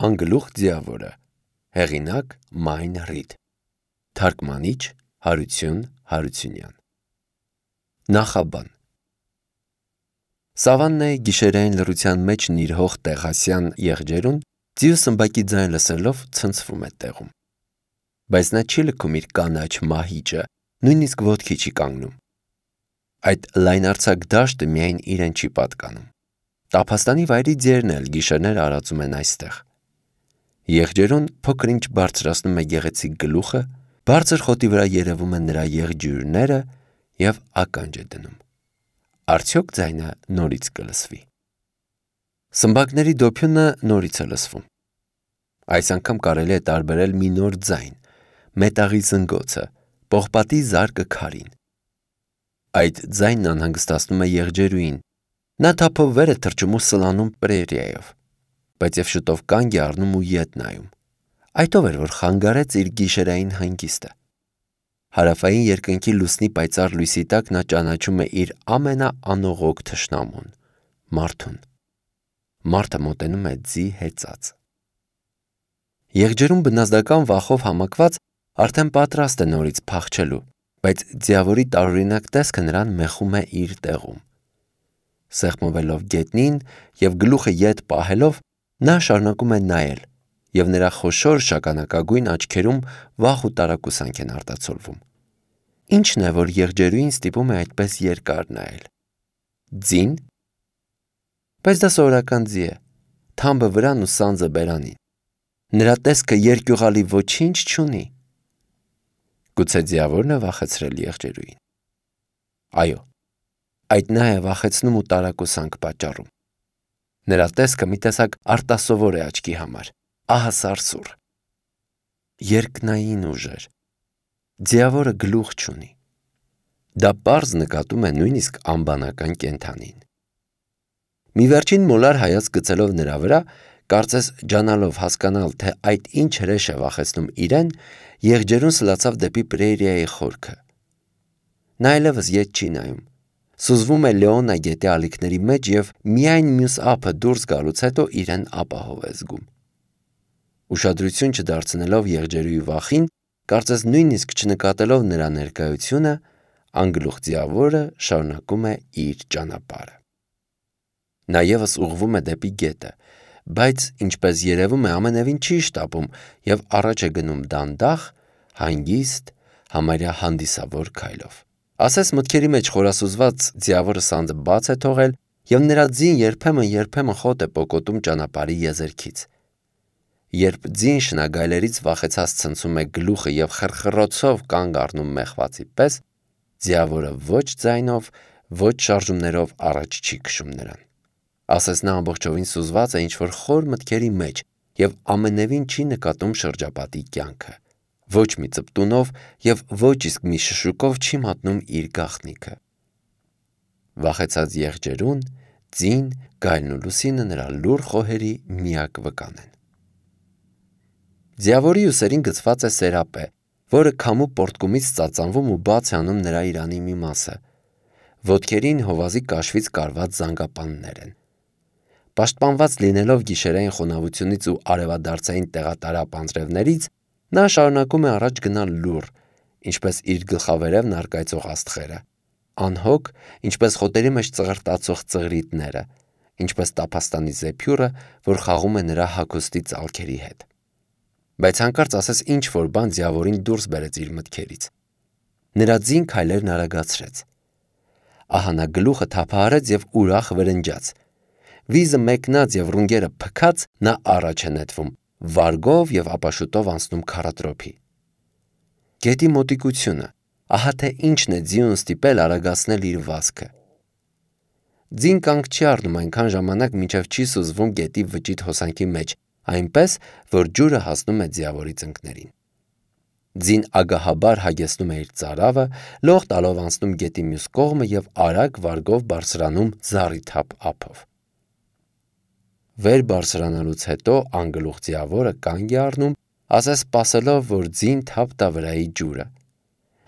Անգլուխ ձիավորը, հեղինակ Մայն Ռիդ, թարգմանիչ Հարություն Հարությունյան։ Նախաբան։ Սավաննայի գիշերային լռության մեջ նիրհող տեղասյան եղջերուն ձիու սմբակի ձայն լսելով ցնցվում է տեղում, բայց նա չի լքում իր կանաչ մահիճը, նույնիսկ ոտքի չի կանգնում։ Այդ լայնարձակ դաշտը միայն իրեն չի պատկանում, Տափաստանի վայրի ձիերն էլ գիշերներ արածում են այստեղ։ Եղջերուն փոքր-ինչ բարձրացնում է գեղեցիկ գլուխը, բարձր խոտի վրա երևում են նրա եղջյուրները և ականջ է դնում։ Արդյոք ձայնը նորից կլսվի։ Սմբակների դոփյունը նորից է լսվում։ Այս անգամ կարելի է տարբերել մի նոր ձայն, մետաղի զնգոցը, պողպատի զարկը քարին։ Այդ ձայնն անհանգստացնում է եղջերուին։ Նա թափով վեր է թռչում ու սլանում պրերիայով, բայց և շուտով կանգ է առնում ու ետ նայում։ Այդ ով էր, որ խանգարեց իր գիշերային հանգիստը։ Հարավային երկնքի լուսնի պայծառ լույսի տակ նա ճանաչում է իր ամենաանողոք թշնամուն՝ մարդուն։ Մարդը մոտենում է ձի հեծած։ Եղջերուն բնազդական վախով համակված արդեն պատրաստ է նորից փախչելու, բայց ձիավորի տարօրինակ տեսքը նրան մեխում է իր տեղում։ Սեղմվելով գետնին և գլուխը ետ պահելով, նա շարունակում է նայել, և նրա խոշոր շագանակագույն աչքերում վախ ու տարակուսանք են արտացոլվում։ Ի՞նչն է, որ եղջերուին ստիպում է այդպես երկար նայել։ Ձին։ Բայց դա սովորական ձի է, թամբը վրան ու սանձը բերանին։ Նրա տեսքը երկյուղալի ոչինչ չունի։ Գուցե ձիավորն է վախեցրել եղջերուին։ Այո, այդ նա է վախեցնում ու տարակուսանք պատճառում։ Նրա տեսքը մի տեսակ արտասովոր է աչքի համար, ահասարսուռ։ Երկնային ուժեր։ Ձիավորը գլուխ չունի։ Դա պարզ նկատում է նույնիսկ անբանական կենդանին։ Մի վերջին մոլար հայացք գցելով նրա վրա, կարծես ջանալով հասկանալ, թե այդ ինչ հրեշ է վախեցնում իրեն, եղջերուն սլացավ դեպի պրերիայի խորքը։ Նա այլևս ետ չի նայում։ Սուզվում է Լեոնա գետի ալիքների մեջ և միայն մյուս ափը դուրս գալուց հետո իրեն ապահով է զգում։ Ուշադրություն չդարձնելով եղջերուի վախին, կարծես նույնիսկ չնկատելով նրա ներկայությունը, անգլուխ ձիավորը շարունակում է իր ճանապարհը։ Նա ևս ուղղվում է դեպի գետը, բայց, ինչպես երևում է, ամենևին չի շտապում և առաջ է գնում դանդաղ, հանգիստ, համարյա հանդիսավոր քայլով։ Ասես մտքերի մեջ խորասուզված ձիավորը սանձը բաց է թողել, և նրա ձին երբեմն խոտ է պոկոտում ճանապարհի եզերքից։ Երբ ձին շնագայլերից վախեցած ցնցում է գլուխը և խռխռոցով կանգ առնում մեղվածի պես, ձիավորը ոչ ձայնով, ոչ շարժումներով առաջ չի քշում նրան։ Ասես նա ամբողջովին սուզված է ինչ-որ խոր մտքերի մեջ և ամենևին չի նկատում շրջապատի կյանքը, ոչ մի ծպտունով և ոչ իսկ մի շշուկով չի մատնում իր գաղտնիքը։ Վախեցած եղջերուն, ձին, գայլն ու լուսինը նրա լուռ խոհերի միակ վկան են։ Ձիավորի ուսերին գցված է սերապե, որը քամու պոռթկումից ծածանվում ու բաց է անում նրա իրանի մի մասը։ Ոտքերին հովազի կաշվից կարված զանգապաններ են։ Պաշտպանված լինելով գիշերային խոնավությունից ու արևադարձային տեղատարապ անձրևներից, նա շարունակում է առաջ գնալ լուռ, ինչպես իր գլխավերևն առկայծող աստղերը, անհոգ, ինչպես խոտերի մեջ ծղրտացող ծղրիտները, ինչպես Տափաստանի զեփյուռը, որ խաղում է նրա հագուստի ծալքերի հետ։ Բայց հանկարծ ասես ինչ-որ բան ձիավորին դուրս բերեց իր մտքերից։ Նրա ձին քայլերն արագացրեց։ Ահա նա գլուխը թափահարեց և ուրախ վրնջաց։ Վիզը մեկնած և ռունգերը փքած, նա առաջ է նետվում, վարգով և ապա շուտով անցնում քառատրոփի։ Գետի մոտիկությունը, ահա թե ինչն է ձիուն ստիպել արագացնել իր վազքը։ Ձին կանգ չի առնում այնքան ժամանակ, մինչև չի սուզվում գետի վճիտ հոսանքի մեջ, այնպես, որ ջուրը հասնում է ձիավորի ծնկներին։ Ձին ագահաբար հագեցնում է իր ծարավը, լող տալով անցնում գետի մյուս կողմը և արագ վարգով բարձրանում զառիթափ ափով։ Վեր բարձրանալուց հետո անգլուխ ձիավորը կանգ է առնում, ասես սպասելով, որ ձին թափ տա վրայի ջուրը։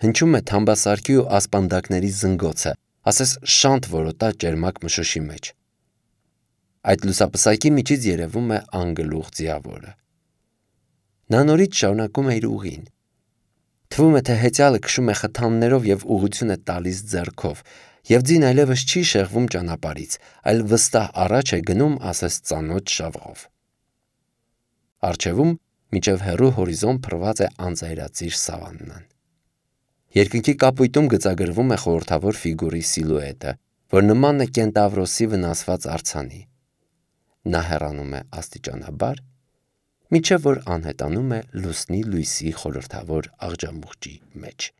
Հնչում է թամբասարքի ու ասպանդակների զնգոցը, ասես շանթ որոտա ճերմակ մշուշի մեջ։ Այդ լուսապսակի միջից երևում է անգլուխ ձիավորը։ Նա նորից շարունակում է իր ուղին։ Թվում է, թե հեծյալը քշում է խթաններով և ուղղություն է տալիս ձեռքով, և ձին այլևս չի շեղվում ճանապարհից, այլ վստահ առաջ է գնում ասես ծանոթ շավղով։ Առջևում մինչև հեռու հորիզոն փռված է անձայրածիր սավաննան։ Երկնքի կապույտում գծագրվում է խորհրդավոր ֆիգուրի սիլուետը, որ նման է կենտավրոսի վնասված արձանի։ Նա հեռանում է աստիճանաբար, մինչև որ անհետանում է լուսնի լույսի խորհրդավոր աղջամուղջի մեջ։